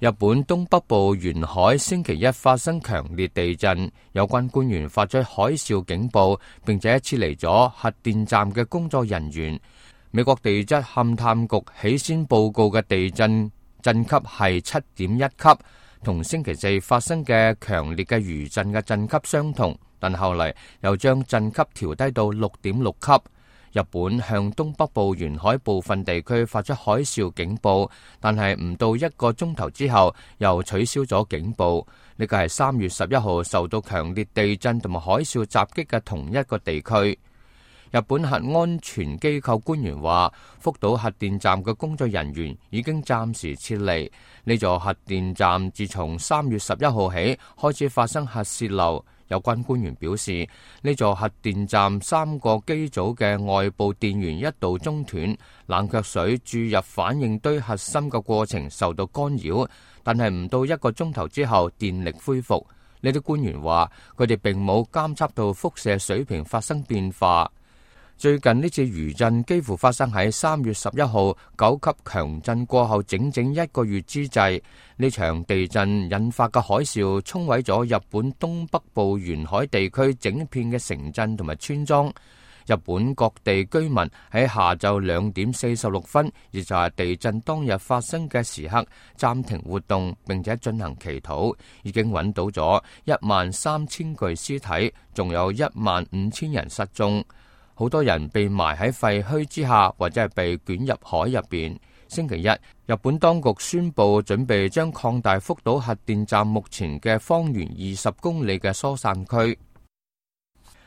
日本東北部沿海星期一發生強烈地震，有關官員發出海嘯警報，並且撤離咗核電站嘅工作人員。美國地質勘探局起先報告嘅地震震級係7.1級，同星期四發生嘅強烈嘅餘震嘅震級相同，但後嚟又將震級調低到6.6級。日本向東北部沿海部分地區發出海嘯警報，但係唔到1個鐘頭之後又取消咗警報。呢個係3月11號受到強烈地震同埋海嘯襲擊嘅同一個地區。日本核安全機構官員話，福島核電站嘅工作人員已經暫時撤離。呢座核電站自從3月11號起開始發生核洩漏。有關官員表示，呢座核電站3個機組嘅外部電源一度中斷，冷卻水注入反應堆核心嘅過程受到干擾，但係唔到1個鐘頭之後電力恢復。呢啲官員話，佢哋並冇監測到輻射水平發生變化。最近呢次餘震幾乎發生喺3月11號9級強震過後整整1個月之際。呢場地震引發嘅海嘯沖毀咗日本東北部沿海地區整片嘅城鎮同埋村莊。日本各地居民喺下晝2點46分，亦就係地震當日發生嘅時刻，暫停活動並且進行祈禱。已經揾到咗13000具屍體，仲有15000人失蹤。好多人被埋喺廢墟之下，或者係被捲入海入邊。星期一，日本當局宣布準備將擴大福島核電站目前嘅方圓20公里嘅疏散區。